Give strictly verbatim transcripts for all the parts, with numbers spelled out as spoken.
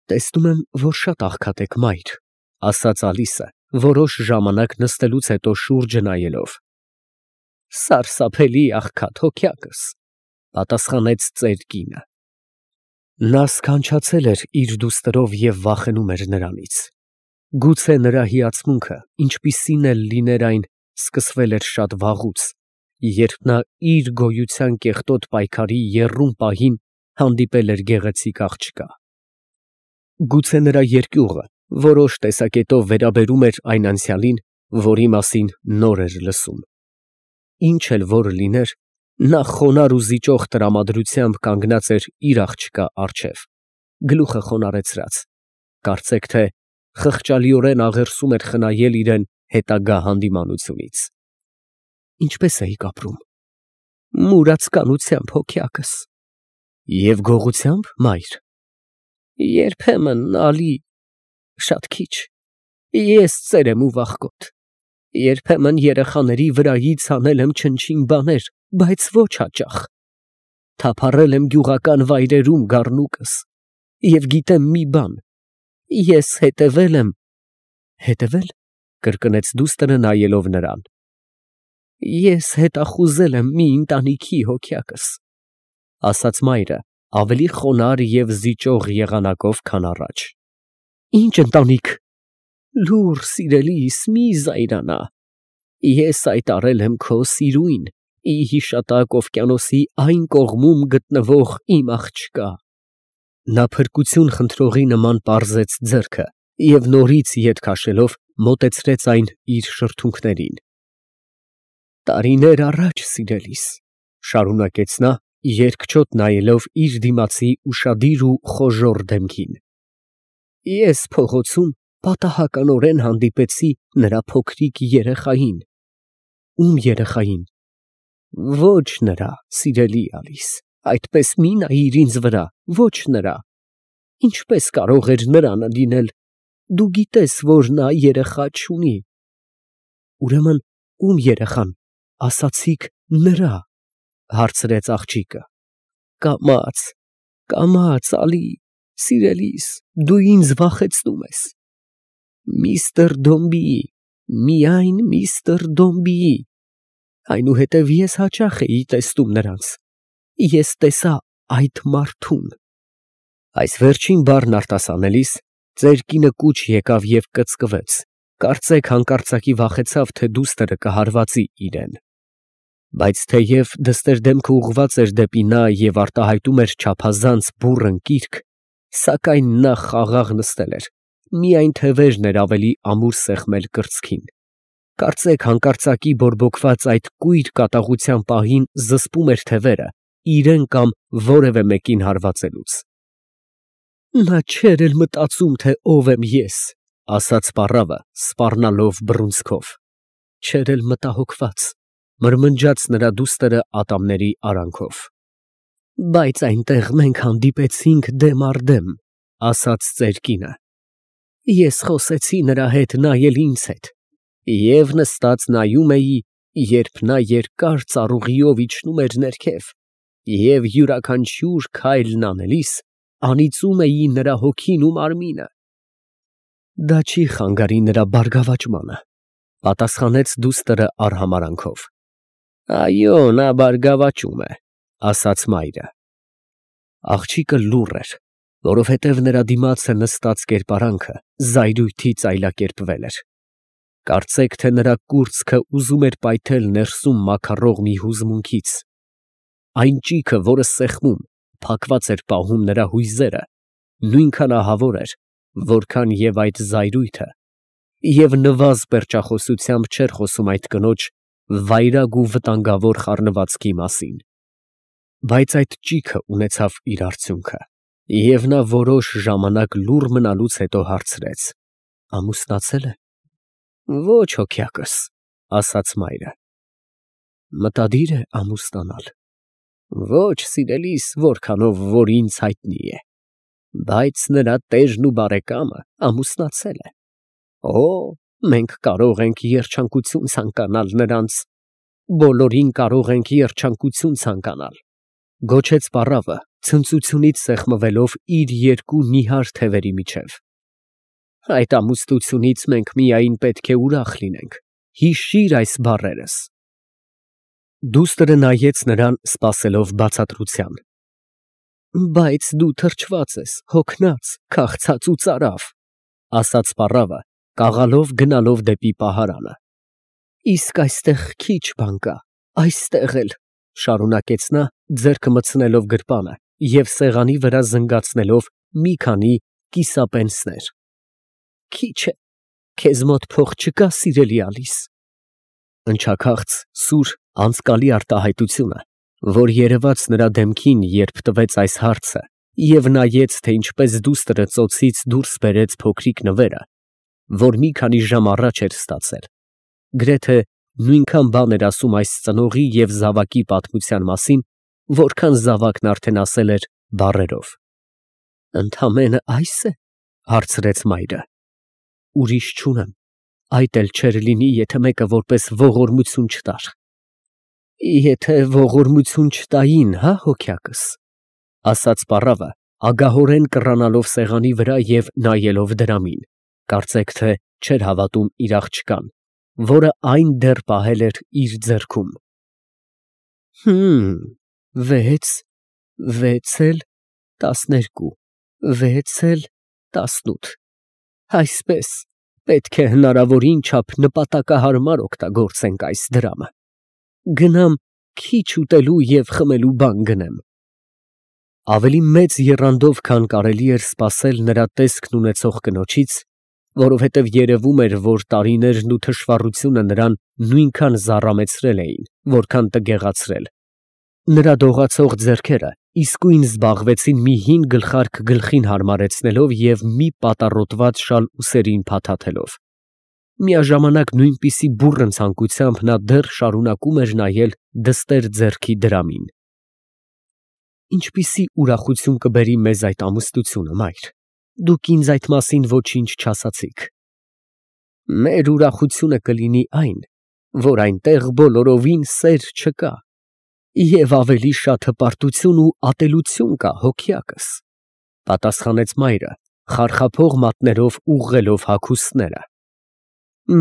Տեսնում եմ, որ շատ աղքատ եք, մայր, ասաց Ալիսը, որոշ ժամանակ նստելուց հետո շուրջը նայելով։ Սարսափելի աղքատ, հոգյակս, պատասխանեց ծեր կինը։ Նա սքանչացել էր իր դուստրով և վախենում էր նրանից։ Գուցե նրա հիացմունքը, ինչպիսին էլ լիներ այն, սկսվել էր շատ վաղուց, երբ նա իր գոյության կեղտոտ պայքարի եռում պահին հանդիպել էր գեղեցիկ աղջկա։ Գուցե նրա երկյուղը որոշ տեսակետով վերաբերում էր այն անցյալին, որի մասին նոր էր լսում։ Ինչ էլ որ լիներ, նա խոնարհ ու զիջող տրամադրությամբ կանգնած էր իր աղջկա առջև, գլուխը խոնարհեցրած, կարծեք թե խղճալիորեն աղերսում էր խնայել իրեն հետագա հանդիմանությունից։ Ինչպե՞ս էիք ապրում։ Մուրացկանությամբ, հոգյակս։ Եվ գողությամբ, մայր։ Երբեմն, Ալի, շատ քիչ, ես ծեր եմ ու վախկոտ, երբեմն երեխաների վրայից անել եմ չնչին բաներ, բայց ոչ հաճախ, թափառել եմ գյուղական վայրերում գառնուկս, և գիտեմ մի բան, ես հետևել եմ։ Հետևե՞լ, կրկնեց դուստրը նայելով նրան։ Ես հետախուզել եմ մի ընտանիքի, հոգյակս, ասաց մայրը, ավելի խոնարհ և զիջող եղանակով, քան առաջ։ Ինչ ընտանիք։ Լուռ, սիրելիս, մի զայրանա, ես այդ արել եմ քո սիրուն, ի հիշատակ օվկիանոսի այն կողմում գտնվող իմ աղջկա։ Նա փրկություն խնդրողի նման պարզեց ձեռքը և նորից ետ քաշելով մոտեցրեց այն իր շրթունքներին։ Տարիներ առաջ, սիրելիս, շարունակեց նա, երկչոտ նայելով իր դիմացի ուշադիր ու խոժոռ դեմքին, ես փողոցում պատահականորեն հանդիպեցի նրա փոքրիկ երեխային։ Ում երեխային։ Ոչ նրա, սիրելի Ալիս, այդպես մի նայիր ինձ վրա, ոչ նրա։ Ինչպես կարող էր նրանը լինել, դու գիտես, որ նա երեխա չունի։ Ուրեմն ում երեխան, ասացիք նրա, հարցրեց աղջիկը։ Կամաց, կամաց, Ալի, սիրելիս, դու ինձ վախեցնում ես։ Միստր Դոմբիի, միայն միստր Դոմբիի, այնուհետև ես հաճախ էի տեսնում նրանց, ես տեսա այդ մարդուն։ Այս վերջին բառն արտասանելիս ծեր կինը կուչ եկավ և կծկվեց, կարծեք հանկարծակի վախեցավ, թե դուստրը կհարվածի իրեն։ Բայց թեև դստեր դեմքը ուղղված էր դեպի նա և արտահայտում էր չափազանց բուռն կիրք, սակայն նա խաղաղ նստել էր, միայն թևերն էր ավելի ամուր սեղմել կրծքին, կարծեք հանկարծակի բորբոքված այդ կույր կատաղության պահին զսպում էր թևերը, իրեն կամ որևէ մեկին հարվածելուց։ Նա չէր էլ մտածում, թե ով եմ ես, ասաց պառավը, սպառնալով բռունցքով, չէր էլ մտահոգված, մրմնջաց նրա դուստրը ատամների արանքով։ Բայց այնտեղ մենք հանդիպեցինք դեմ առ դեմ, ասաց ծեր կինը։ Ես խոսեցի նրա հետ, նա էլ ինձ հետ, և նստած նայում էի, երբ նա երկար ծառուղիով իջնում էր ներքև, և յուրաքանչյուր քայլն անելիս անիծում էի նրա հոգին ու մարմինը։ Դա չի խանգարի նրա բարգավաճմանը, պատասխանեց դուստրը արհամարհանքով։ Այո, նա բարգավաճում է, ասաց մայրը։ Աղջիկը լուռ էր, որովհետև նրա դիմացը նստած կերպարանքը զայրույթի ծայլակերպվել էր։ Կարծեք, թե նրա կուրծքը ուզում էր պայթել ներսում մաքարող մի հուզմունքից։ Այն ճիգը, որը սեղմում, փակված էր պահում նրա հույզերը, նույնքան ահավոր էր, որքան և այդ զայրույթը, և նվազ պերճախոսությամբ չէր խոսում այդ կնոջ վայրագ ու վտանգավոր խառնվածքի մասին։ Բայց այդ ճիգը ունեցավ իր արդյունքը, և նա որոշ ժամանակ լուռ մնալուց հետո հարցրեց. Ամուսնացե՞լ է։ Ոչ, հոգյակս, ասաց մայրը։ Մտադիր է ամուսնանալ։ Ոչ, սիրելիս, որքանով որ ինձ հայտնի է, բայց նրա տերն ու բարեկամը ամուսնացել է։ Օ, մենք կարող ենք երջանկություն ցանկանալ նրանց, բոլորին կարող ենք երջանկություն ցանկանալ, գոչեց պառավը, ցնծությունից սեղմվելով իր երկու նիհար թևերի միջև։ Այդ ամուսնությունից մենք միայն պետք է ուրախ լինենք, հիշիր այս բառերս։ Դուստրը նայեց նրան, սպասելով բացատրության։ Բայց դու թրջված ես, հոգնած, քաղցած ու ծարավ, ասաց պառավը, կաղալով գնալով դեպի պահարանը։ Իսկ այստեղ քիչ բան կա, այստեղ էլ, շարունակեց նա, ձեռքը մտցնելով գրպանը և սեղանի վրա զնգացնելով մի քանի կիսապենսներ։ Քիչ է, քեզ մոտ փող չկա, սիրելի Ալիս։ Ընչաքաղց, սուր, անձկալի արտահայտությունը, որ երևաց նրա դեմքին, երբ տվեց այս հարցը, և նայեց, թե ինչպես դուստրը ծոցից դուրս բերեց փոքրիկ նվերը, որ մի քանի ժամ առաջ էր ստացել, գրեթե նույնքան բան էր ասում այս ծնողի և զավակի պատմության մասին, որքան զավակն արդեն ասել էր բառերով։ Ընդամենը այս է, հարցրեց մայրը։ Ուրիշ չունեմ, այդ էլ չէր լինի, եթե մեկը որպես ողորմություն չտար։ Եթե ողորմություն չտային, հա, հոգյակս, ասաց պառավը, ագահորեն կռանալով սեղանի վրա և նայելով դրամին, կարծեք թե չէր հավատում իր աղջկան, որը այն դեռ պահել էր իր ձեռքում։ Հըմ, վեց, վեց էլ տասներկու, վեց էլ տասնութ, այսպես, պետք է հնարավորին չափ նպատակահարմար օգտագործենք այս դրամը։ Գնամ քիչ ուտելու և խմելու բան գնեմ։ Ավելի մեծ եռանդով, քան կարելի էր սպասել նրա տեսքն ունեցող կնոջից, որովհետև երևում էր, որ տարիներն ու թշվառությունը նրան նույնքան զառամեցրել էին, որքան տգեղացրել։ Նրա դողացող ձեռքերը իսկույն զբաղվեցին մի հին գլխարկ գլխին հարմարեցնելով և մի պատառոտված շալ ուսերին փաթաթելով։ Միաժամանակ նույնպիսի բուռն ցանկությամբ նա դեռ շարունակում էր նայել դստեր ձեռքի դրամին։ Ինչպիսի ուրախություն կբերի մեզ այդ ամուսնությունը, մայր, դուք ինձ այդ մասին ոչինչ չասացիք։ Մեր ուրախությունը կլինի այն, որ այնտեղ բոլորովին սեր չկա, և ավելի շատ հպարտություն ու ատելություն կա, հոգյակս, պատասխանեց մայրը, խարխափող մատներով ուղղելով հագուստները։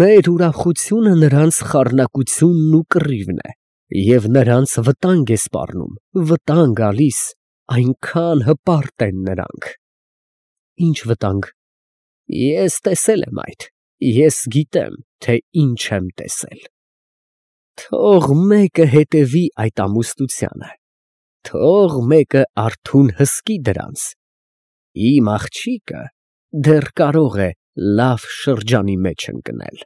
Մեր ուրախությունը նրանց խառնակությունն ու կռիվն է, և նրանց վտանգ է սպառնում, վտանգ, Ալիս, այնքան հպարտ են նրանք։ Ինչ վտանգ։ Ես տեսել եմ այդ, ես գիտեմ, թե ինչ եմ տեսել։ Թող մեկը հետևի այդ ամուսնությանը, թող մեկը արթուն հսկի դրանց, իմ աղջիկը դեռ կարող է լավ շրջանի մեջ ընկնել։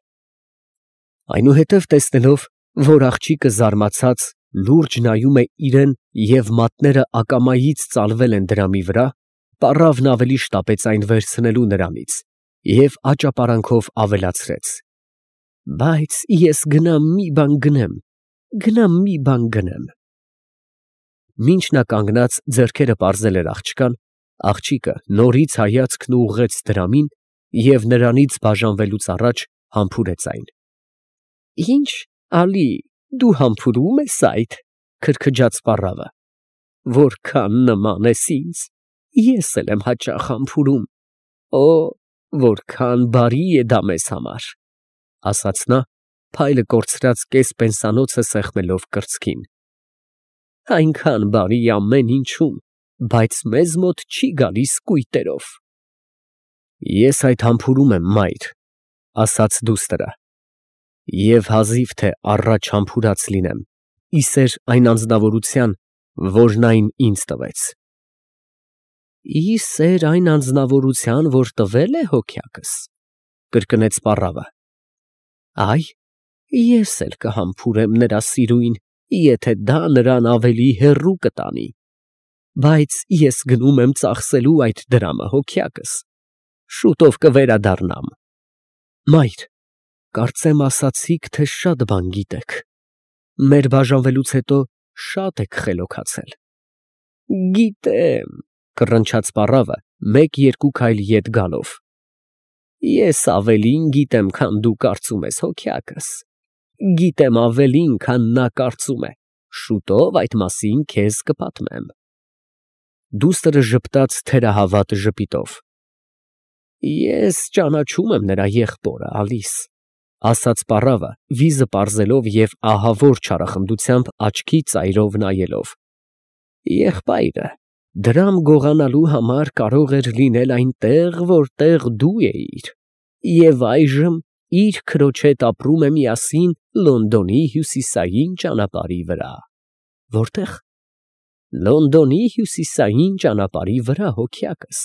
Այնուհետև տեսնելով, որ աղջիկը զարմացած լուրջ նայում է իրան և մատները ակամայից ծալվել են դրամի վրա, պառավն ավելի շտապեց այն վերցնելու նրանից և աճապարանքով ավելացրեց. Բայց ես գնամ մի բան գնեմ, գնամ մի բան գնեմ։ Մինչ նա կանգնած ձեռքերը պարզել էր աղջկան, աղջիկը նորից հայացքն ուղղեց դրամին և նրանից բաժանվելուց առաջ համբուրեց այն։ Ինչ, Ալի, դու համբուրում ես այդ, քրքջաց պառավը։ Որքան նման ես ինձ, ես էլ եմ հաճախ համբուրում։ Օ, որքան բարի է դա մեզ համար, ասաց նա, փայլը կորցրած կես պենսանոցը սեղմելով կրծքին։ Այնքան բարի ամեն ինչում, բայց մեզ մոտ չի գալիս կույտերով։ Ես այդ համբուրում եմ, մայր, ասաց դուստրը, և հազիվ թե առաջ համբուրած լինեմ, ի սեր այն անձնավորության, որն այն ինձ տվեց։ Ի սեր այն անձնավորության, որ տվել է հոգյակս, կրկնեց պառավը։ Այ, ես էլ կհամբուրեմ նրա սիրուն, եթե դա նրան ավելի հեռու կտանի, բայց ես գնում եմ ծախսելու այդ դրամը, հոգյակս, շուտով կվերադառնամ։ Մայր, կարծեմ ասացիք, թե շատ բան գիտեք, մեր բաժանվելուց հետո շատ եք խելոքացել։ Գիտեմ, կռնչաց պառավը, մեկ֊երկու քայլ ետ գալով։ Ես ավելին գիտեմ, քան դու կարծում ես, հոգյակս, գիտեմ ավելին, քան նա կարծում է, շուտով այդ մասին քեզ կպատմեմ։ Դուստրը ժպտաց թերահավատ ժպիտով։ Ես ճանաչում եմ նրա եղբորը, Ալիս, ասաց պառավը, վիզը պարզելով և ահավոր չարախնդությամբ աչքի ծայրով նայելով։ Եղբայրը դրամ գողանալու համար կարող էր լինել այնտեղ, որտեղ դու էիր, և այժմ իր քրոջ հետ ապրում է միասին Լոնդոնի հյուսիսային ճանապարհի վրա։ Որտե՞ղ։ Լոնդոնի հյուսիսային ճանապարհի վրա, հոգյակս։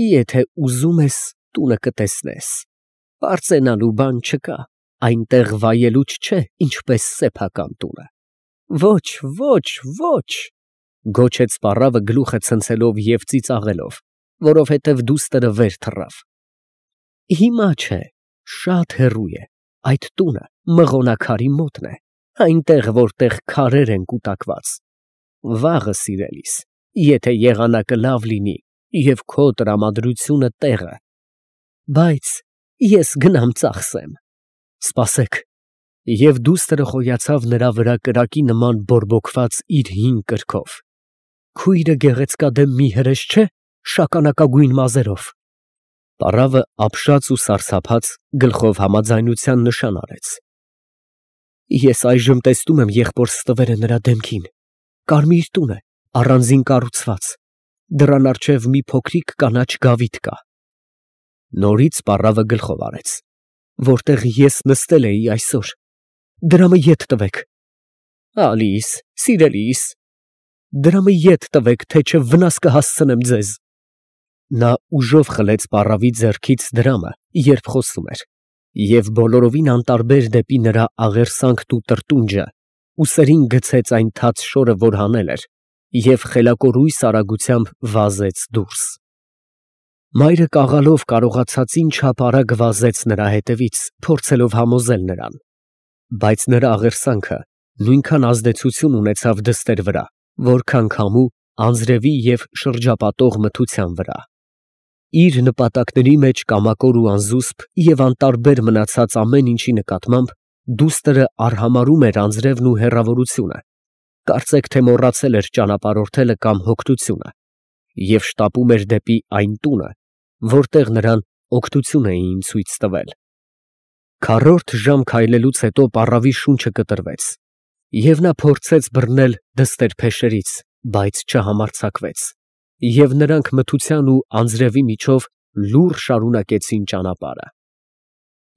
Եթե ուզում ես, տունը կտեսնես, պարծենալու բան չկա, այնտեղ վայելուչ չէ, ինչպես սեփական տունը։ Ոչ, ոչ, ոչ, գոչեց պառավը գլուխը ցնցելով և ծիծաղելով, որովհետև դուստրը վեր թռավ։ Հիմա չէ, շատ հեռու է, այդ տունը մղոնակարի մոտն է, այնտեղ, որտեղ քարեր են կուտակված։ Վաղը, սիրելիս, եթե եղանակը լավ լինի և քո տրամադրությունը տեղը։ Բայց ես գնամ ծախսեմ։ Սպասեք։ Եվ դուստրը խոյացավ նրա վրա կրակի նման բորբոքված իր հին կրքով։ Քույրը գեղեցկադեմ մի հրեշ չէ, շագանակագույն մազերով։ Պառավը ապշած ու սարսափած գլխով համաձայնության նշան արեց։ Ես այժմ տեսնում եմ եղբոր ստվերը նրա դեմքին։ Կարմիր տուն է, առանձին կառուցված, դռան առջև մի փոքրիկ կանաչ գավիթ կա։ Նորից պառավը գլխով արեց։ Որտեղ ես նստել էի այսօր։ Դրամը ետ տվեք։ Ալիս, սիրելիս, դրամը ետ տվեք, թե չէ վնաս կհասցնեմ ձեզ։ Նա ուժով խլեց պառավի ձեռքից դրամը, երբ խոսում էր, և բոլորովին անտարբեր դեպի նրա աղերսանքն ու տրտունջը, ուսերին գցեց այն թաց շորը, որ հանել էր, և խելակորույս արագությամբ վազեց դուրս։ Մայրը կաղալով կարողացածին չափ արագ վազեց նրա հետևից, փորձելով համոզել նրան, բայց նրա աղերսանքը նույնքան ազդեցություն ունեցավ դստեր վրա, որքան քամու, անձրևի և շրջապատող մթության վրա։ Իր նպատակների մեջ կամակոր ու անզուսպ և անտարբեր մնացած ամեն ինչի նկատմամբ դուստրը արհամարհում էր անձրևն ու հեռավորությունը, կարծեք թե մոռացել էր ճանապարհորդելը կամ հոգնությունը, և շտապում էր դեպի այն տունը, որտեղ նրան օգնություն էին ցույց տվել։ Քառորդ ժամ քայլելուց հետո պառավի շունչը կտրվեց, և նա փորձեց բռնել դստեր փեշերից, բայց չհամարձակվեց, և նրանք մթության ու անձրևի միջով լուռ շարունակեցին ճանապարհը։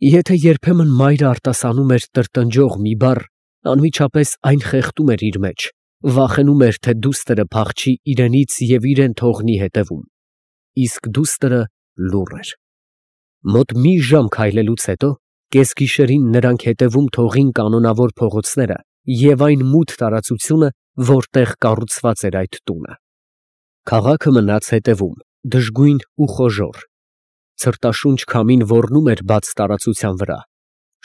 Եթե երբեմն մայրը արտասանում էր տրտնջող մի բառ, անմիջապես այն խեղդում էր իր մեջ, վախենում էր, թե դուստրը փախչի իրենից և իրեն թողնի հետևում, իսկ դուստրը լուռ էր։ Մոտ մի ժամ քայլելուց հետո կեսգիշերին նրանք հետևում թողին կանոնավոր փողոցները և այն մութ տարածությունը, որտեղ կառուցված էր այդ տունը։ Քաղաքը մնաց հետևում, դժգույն ու խոժոռ։ Ցրտաշունչ քամին ոռնում էր բաց տարածության վրա,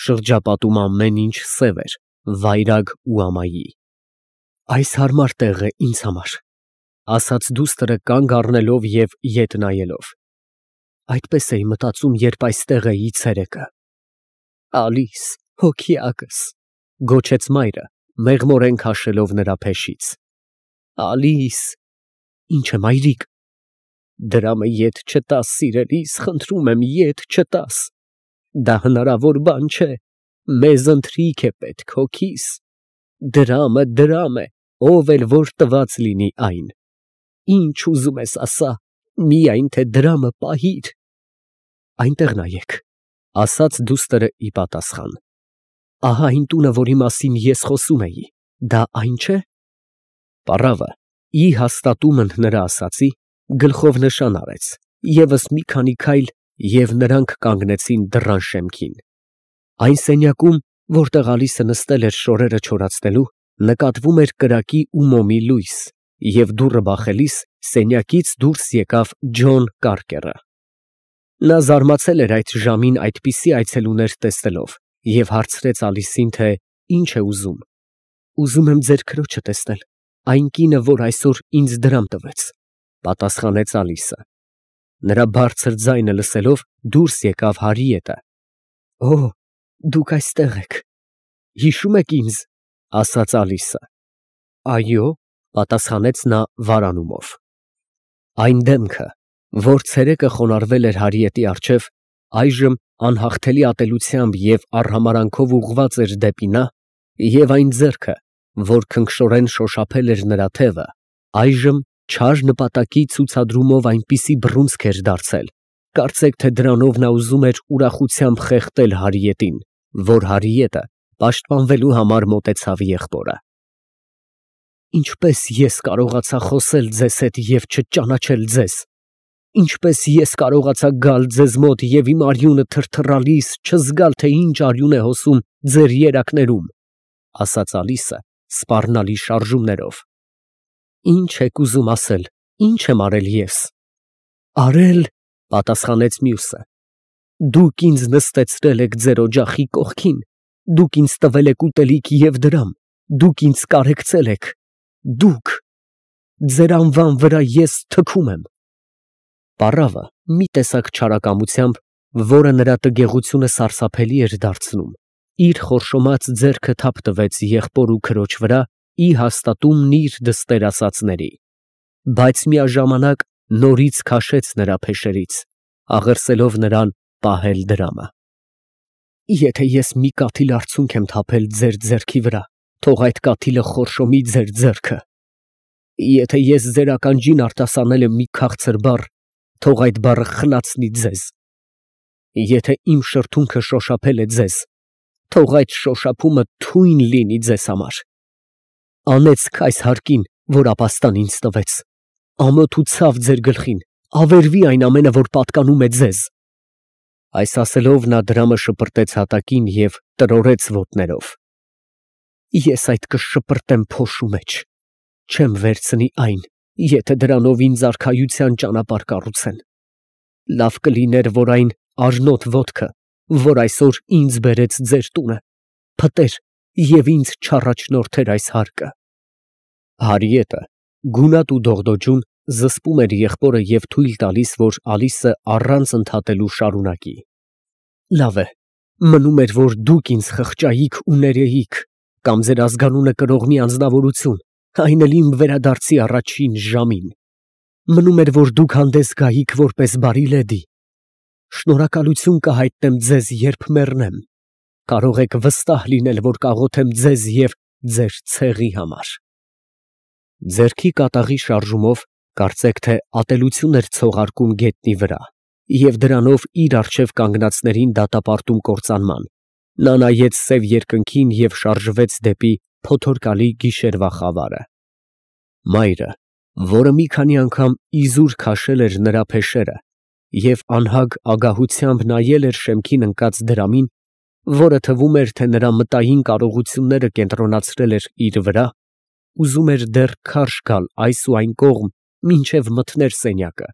շրջապատում ամեն ինչ սև էր, վայրագ ու ամայի։ Այս հարմար տեղ է ինձ համար, ասաց դուստրը կանգ առնելով և ետ նայելով։ Այդպես էի մտածում, երբ այստեղ էի ցերեկը։ Ալիս, հոգիակս, գոչեց մայրը, մեղմորեն քաշելով նրա փեշից։ Ալիս։ Ինչ է, մայրիկ։ Դրամը ետ չտաս, սիրելիս, խնդրում եմ, ետ չտաս։ Դա հնարավոր բան չէ, մեզ ընթրիք է պետք, հոգիս։ Դրամը դրամ է, ով էլ որ տված լինի այն։ Ինչ ուզում ես ասա, միայն թե դրամը պահիր։ Այնտեղ նայեք, ասաց դուստրը ի պատասխան։ Ահա այն տունը, որի մասին ես խոսում էի, դա այն չէ։ Պառավը, ի հաստատումն նրա ասածի, գլխով նշան արեց, ևս մի քանի քայլ, և նրանք կանգնեցին դռան շեմքին։ Այն սենյակում, որտեղ Ալիսը նստել էր շորերը չորացնելու, նկատվում էր կրակի ու մոմի լույս, և դուռը բախելիս սենյակից դուրս եկավ Ջոն Կարկերը։ Նա զարմացել էր այդ ժամին այդպիսի այցելուներ տեսնելով և հարցրեց Ալիսին, թե ինչ է ուզում։ Ուզում եմ ձեր քրոջը տեսնել, այն կինը, որ այսօր ինձ դրամ տվեց, պատասխանեց Ալիսը։ Նրա բարձր ձայնը լսելով դուրս եկավ Հարիետը։ Օ, դուք այստեղ եք։ Հիշո՞ւմ եք ինձ, ասաց Ալիսը։ Այո, Պատասխանեց նա վարանումով։ Այն դեմքը, որ ցերեկը խոնարհվել էր Հարիետի առջև, այժմ անհաղթելի ատելությամբ և արհամարանքով ուղղված էր դեպի նա, և այն ձեռքը, որ քնքշորեն շոշափել էր նրա թևը, այժմ չար նպատակի ցուցադրումով այնպիսի բռունցք էր դարձել, կարծեք թե դրանով նա ուզում էր ուրախությամբ խեղդել Հարիետին, որ Հարիետը պաշտպանվելու համար մոտեցավ եղբորը։ Ինչպե՞ս ես կարողացա խոսել ձեզ հետ և չճանաչել ձեզ, ինչպե՞ս ես կարողացա գալ ձեզ մոտ և իմ արյունը թրթռալիս չզգալ, թե ինչ արյուն է հոսում ձեր երակներում, ֊ ասաց Ալիսը սպառնալի շարժումներով։ Ի՞նչ եք ուզում ասել, ի՞նչ եմ արել ես։ ֊ Արել, ֊ պատասխանեց մյուսը, ֊ դուք ինձ նստեցրել եք ձեր օջախի կողքին, դուք ինձ տվել եք ուտելիք և դրամ, դուք ինձ կարեկցել եք, դուք… ձեր անվան վրա ես թքում եմ… Պառավը մի տեսակ չարակամությամբ, որը նրա տգեղությունը սարսափելի էր դարձնում, իր խորշոմած ձեռքը թափ տվեց եղբոր ու քրոջ վրա ի հաստատումն իր դստեր ասածների, բայց միաժամանակ նորից քաշեց նրա փեշերից, աղերսելով նրան պահել դրամը։ Եթե ես մի կաթիլ արցունք եմ թափել ձեր ձեռքի վրա, թող այդ կաթիլը խորշոմի ձեր ձեռքը։ Եթե ես ձեր ականջին արտասանել եմ մի քաղցր բառ, թող այդ բառը խլացնի ձեզ։ Եթե իմ շրթունքը շոշափել է ձեզ, թող այդ շոշափումը թույն լինի ձեզ համար։ Անեծք այս հարկին, որ ապաստան ինձ տվեց, ամոթ ու ցավ ձեր գլխին, ավերվի այն ամենը, որ պատկանում է ձեզ։ Այս ասելով նա դրամը շպրտեց հատակին և տրորեց ոտներով։ Ես այդ կշպրտեմ փոշու մեջ, չեմ վերցնի այն, եթե դրանով ինձ արքայության ճանապարհ կառուցեն։ Լավ կլիներ, որ այն արժնոտ ոտքը, որ այսօր ինձ բերեց ձեր տունը, փտեր և ինձ չառաջնորդեր այս հարկը։ Հարիետը, գունատ ու դողդոջուն, զսպում էր եղբորը և թույլ տալիս, որ Ալիսը առանց ընդհատելու շարունակի։ Լավ է, մնում էր, որ դուք ինձ խղճայիք ու ներեիք, կամ ձեր ազգանունը կրող մի անձնավորություն, այն էլ իմ վերադարձի առաջին ժամին։ Մնում էր, որ դուք հանդես գայիք որպես բարի լեդի։ Շնորհակալություն կհայտնեմ ձեզ, երբ մեռնեմ։ Կարող եք վստահ լինել, որ կաղոթեմ ձեզ և ձեր ցեղի համար։ Ձեռքի կատաղի շարժումով կարծեք թե ատելություն էր ցողարկում գետնի վրա, և դրանով իր առջև կանգնածներին դատապարտում կործանման, նա նայեց սև երկնքին և շարժվեց դեպի փոթորկալի գիշերվա խավարը։ Մայրը, որը մի քանի անգամ իզուր քաշել էր նրա փեշերը և անհագ ագահությամբ նայել էր շեմքին ընկած դրամին, որը թվում էր, թե նրա մտային կարողությունները կենտրոնացրել էր իր վրա, ուզում էր դեռ քարշ գալ այս ու այն կողմ, մինչև մթներ սենյակը,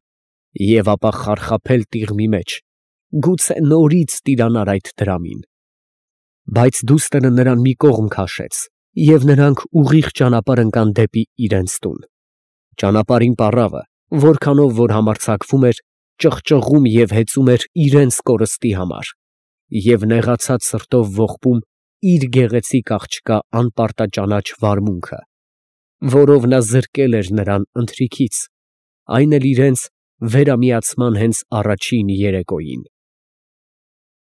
և ապա խարխափել տիղմի մեջ, գուցե նորից տիրանար այդ դրամին։ Բայց դուստրը նրան մի կողմ քաշեց, և նրանք ուղիղ ճանապարհ ընկան դեպի իրենց տուն։ Ճանապարհին պառավը, որքանով որ համարձակվում էր, ճղճղում և հեծում էր իրենց կորստի համար, և նեղացած սրտով ողբում իր գեղեցիկ աղջկա անպարտաճանաչ վարմունքը, որով նա զրկել էր նրան ընթրիքից, այն էլ իրենց վերամիացման հենց առաջին երեկոյին։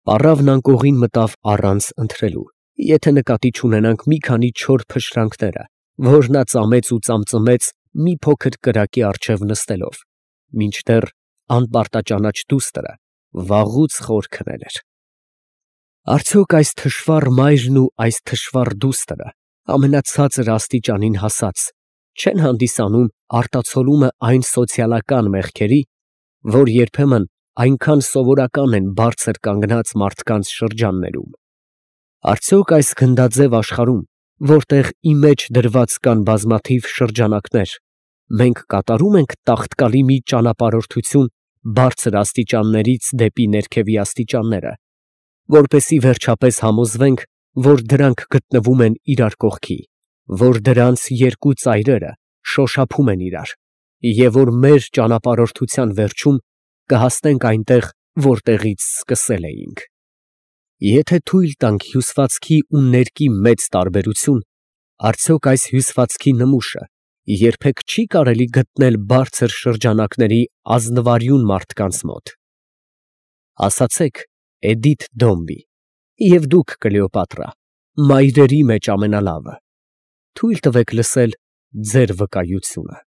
Պառավն անկողին մտավ առանց ընթրելու, եթե նկատի չունենանք մի քանի չոր փշրանքները, որ նա ծամեց ու ծամծմեց մի փոքր կրակի առջև նստելով, մինչդեռ անպարտաճանաչ դուստրը վաղուց խոր քնել էր։ Արդյոք այս թշվառ մայրն ու այս թշվառ դուստրը ամենացածր աստիճանին հասած չեն հանդիսանում արտացոլումը այն սոցիալական մեղքերի, որ երբեմն այնքան սովորական են բարձր կանգնած մարդկանց շրջաններում։ Արդյոք այս գնդաձև աշխարհում, որտեղ ի մեջ դրված կան բազմաթիվ շրջանակներ, մենք կատարում ենք տաղտկալի մի ճանապարհորդություն բարձր աստիճաններից դեպի ներքևի աստիճանները, որպեսզի վերջապես համոզվենք, որ դրանք գտնվում են իրար կողքի, որ դրանց երկու ծայրերը շոշափում են իրար, և որ մեր ճանապարհորդության վերջում կհասնենք այնտեղ, որտեղից սկսել էինք։ Եթե թույլ տանք հյուսվածքի ու ներկի մեծ տարբերություն, արդյոք այս հյուսվածքի նմուշը երբեք չի կարելի գտնել բարձր շրջանակների ազնվարյուն մարդկանց մոտ։ Ասացեք Էդիթ Դոմբի, և դուք Կլեոպատրա, մայրերի մեջ ամենալավը, թույլ տվեք լսել ձեր վկայությունը։